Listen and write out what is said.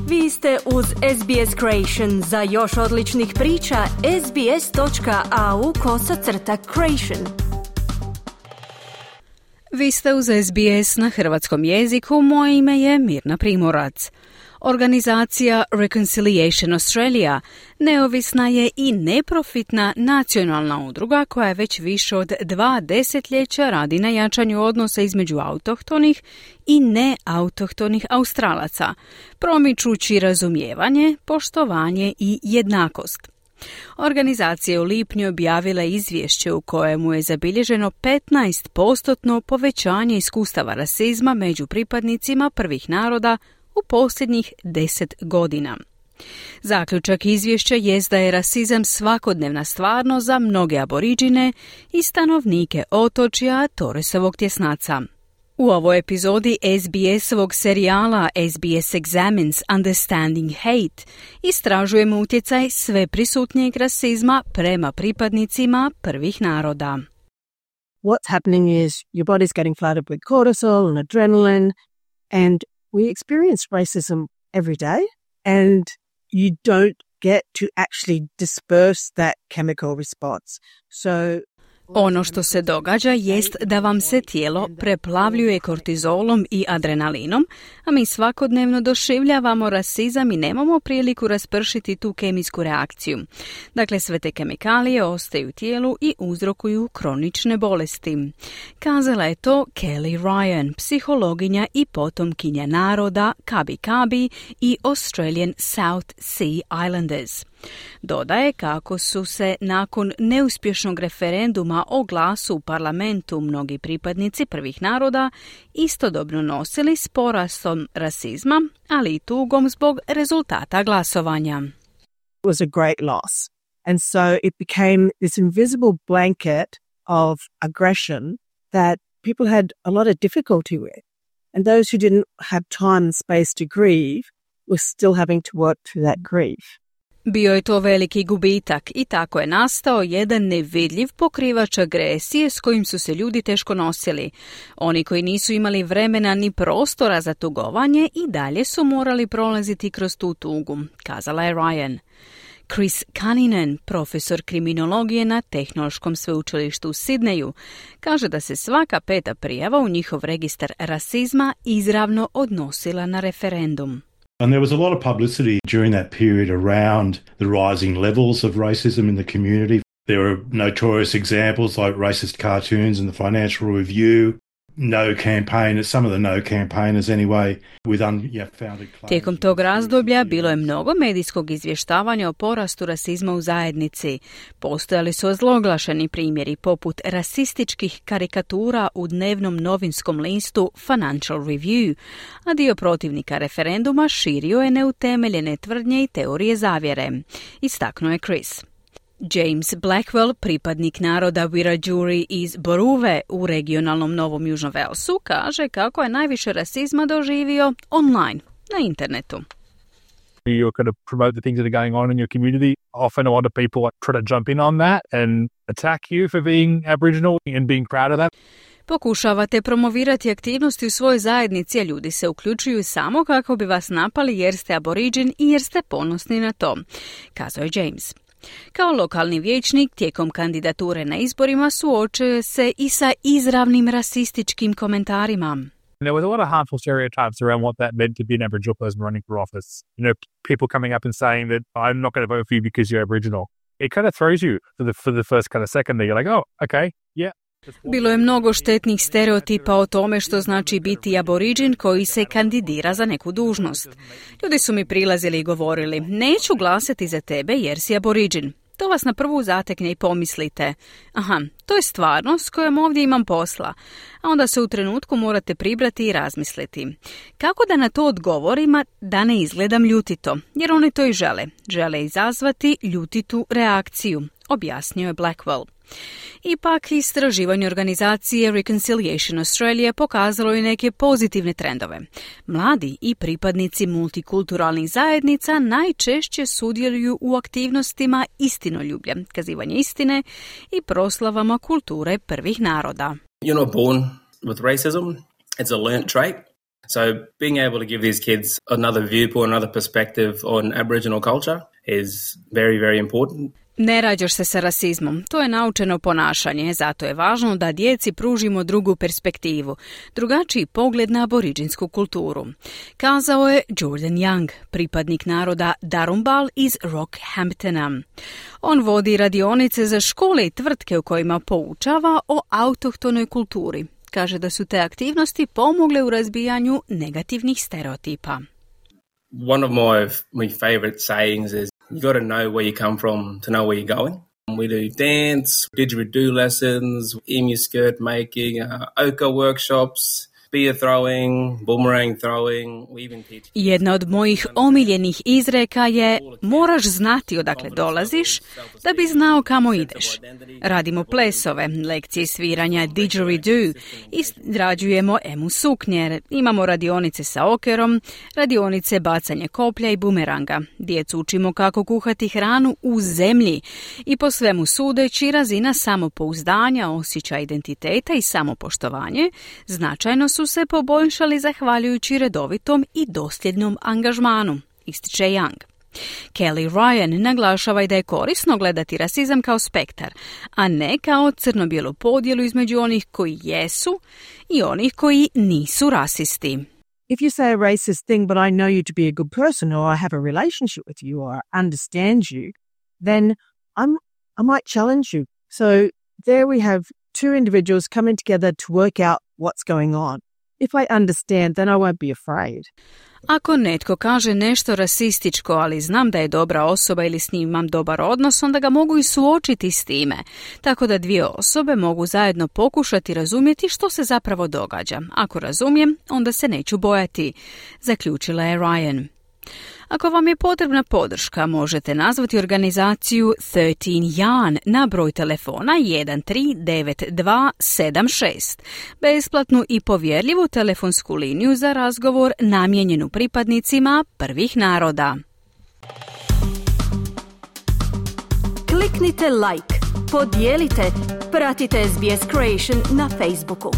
Vi ste uz SBS Creation. Za još odličnih priča, sbs.au/creation. Vi ste uz SBS na hrvatskom jeziku. Moje ime je Mirna Primorac. Organizacija Reconciliation Australia neovisna je i neprofitna nacionalna udruga koja je već više od 2 desetljeća radi na jačanju odnosa između autohtonih i neautohtonih Australaca, promičući razumijevanje, poštovanje i jednakost. Organizacija je u lipnju objavila izvješće u kojemu je zabilježeno 15% povećanje iskustava rasizma među pripadnicima prvih naroda u posljednjih 10 godina. Zaključak izvješća jest da je rasizam svakodnevna stvarnost za mnoge aboriđine i stanovnike otočja Torresovog tjesnaca. U ovoj epizodi SBS-ovog serijala SBS Examines Understanding Hate istražujemo utjecaj sveprisutnijeg rasizma prema pripadnicima prvih naroda. What's happening is your body's getting flooded with cortisol and adrenaline, and we experience racism every day, and you don't get to actually disperse that chemical response. So ono što se događa jest da vam se tijelo preplavljuje kortizolom i adrenalinom, a mi svakodnevno doživljavamo rasizam i nemamo priliku raspršiti tu kemijsku reakciju. Dakle, sve te kemikalije ostaju u tijelu i uzrokuju kronične bolesti. Kazala je to Kelly Ryan, psihologinja i potomkinja naroda Kabi Kabi i Australian South Sea Islanders. Dodaje kako su se nakon neuspješnog referenduma o glasu u parlamentu mnogi pripadnici prvih naroda istodobno nosili s porastom rasizma, ali i tugom zbog rezultata glasovanja. It was a great loss. And so it became this invisible blanket of aggression that people had a lot of difficulty with. And those who didn't have time and space to grieve were still having to work through that grief. Bio je to veliki gubitak i tako je nastao jedan nevidljiv pokrivač agresije s kojim su se ljudi teško nosili. Oni koji nisu imali vremena ni prostora za tugovanje i dalje su morali prolaziti kroz tu tugu, kazala je Ryan. Chris Cunningham, profesor kriminologije na Tehnološkom sveučilištu u Sidneju, kaže da se svaka 5. prijava u njihov registar rasizma izravno odnosila na referendum. And there was a lot of publicity during that period around the rising levels of racism in the community. There were notorious examples like racist cartoons in the Financial Review, no campaigners, some of the no campaigners anyway, with unfounded claims. Tijekom tog razdoblja bilo je mnogo medijskog izvještavanja o porastu rasizma u zajednici. Postojali su ozloglašeni primjeri poput rasističkih karikatura u dnevnom novinskom listu Financial Review, a dio protivnika referenduma širio je neutemeljene tvrdnje i teorije zavjere, istaknuo je Chris. James Blackwell, pripadnik naroda Wiradjuri iz Boruve u regionalnom Novom Južnom Velsu, kaže kako je najviše rasizma doživio online, na internetu. You're going to promote the things that are going on in your community. Often a lot of people try to jump in on that and attack you for being Aboriginal and being proud of that. Pokušavate promovirati aktivnosti u svojoj zajednici, a ljudi se uključuju samo kako bi vas napali jer ste aboriđin i jer ste ponosni na to, kazao je James. Kao lokalni vijećnik tijekom kandidature na izborima suočio se i sa izravnim rasističkim komentarima. There was a lot of harmful stereotypes around what that meant to be an Aboriginal person running for office. You know, people coming up and saying that I'm not going to vote for you because you're Aboriginal. It kind of throws you for the first kind of second that you're like, oh, okay, yeah. Bilo je mnogo štetnih stereotipa o tome što znači biti aboriđin koji se kandidira za neku dužnost. Ljudi su mi prilazili i govorili, neću glasati za tebe jer si aboriđin. To vas na prvu zatekne i pomislite, aha, to je stvarnost s kojom ovdje imam posla. A onda se u trenutku morate pribrati i razmisliti. Kako da na to odgovorim da ne izgledam ljutito? Jer oni to i žele. Žele izazvati ljutitu reakciju, objasnio je Blackwell. Ipak, istraživanje organizacije Reconciliation Australia pokazalo je neke pozitivne trendove. Mladi i pripadnici multikulturalnih zajednica najčešće sudjeluju u aktivnostima istinoljublja, kazivanje istine i proslavama kulture prvih naroda. You're not born with racism. It's a learnt trait. So being able to give these kids another viewpoint, another perspective on Aboriginal culture is very, very important. Ne rađaš se sa rasizmom, to je naučeno ponašanje, zato je važno da djeci pružimo drugu perspektivu, drugačiji pogled na aboriđinsku kulturu. Kazao je Jordan Young, pripadnik naroda Darumbal iz Rockhamptona. On vodi radionice za škole i tvrtke u kojima poučava o autohtonoj kulturi. Kaže da su te aktivnosti pomogle u razbijanju negativnih stereotipa. One of my favorite sayings is, you got to know where you come from to know where you're going. We do dance, didgeridoo lessons, emu skirt making, ochre workshops, spear throwing, boomerang throwing. We even teach... Jedna od mojih omiljenih izreka je: moraš znati odakle dolaziš da bi znao kamo ideš. Radimo plesove, lekcije sviranja didgeridoo, izrađujemo emu suknje, imamo radionice sa okerom, radionice bacanje koplja i bumeranga. Djecu učimo kako kuhati hranu u zemlji i po svemu sudeći razina samopouzdanja, osjećaj identiteta i samopoštovanje značajno su se poboljšali zahvaljujući redovitom i dosljednom angažmanu, ističe Young. Kelly Ryan naglašava i da je korisno gledati rasizam kao spektar, a ne kao crno-bijelu podjelu između onih koji jesu i onih koji nisu rasisti. If you say a racist thing, but I know you to be a good person, or I have a relationship with you, or I understand you, then I might challenge you. So there we have two individuals coming together to work out what's going on. If I understand, then I won't be afraid. Ako netko kaže nešto rasističko, ali znam da je dobra osoba ili s njim imam dobar odnos, onda ga mogu i suočiti s time. Tako da dvije osobe mogu zajedno pokušati razumjeti što se zapravo događa. Ako razumijem, onda se neću bojati, zaključila je Ryan. Ako vam je potrebna podrška, možete nazvati organizaciju 13 Yarn na broj telefona 139276, besplatnu i povjerljivu telefonsku liniju za razgovor namijenjenu pripadnicima prvih naroda. Kliknite like, podijelite, pratite SBS Creation na Facebooku.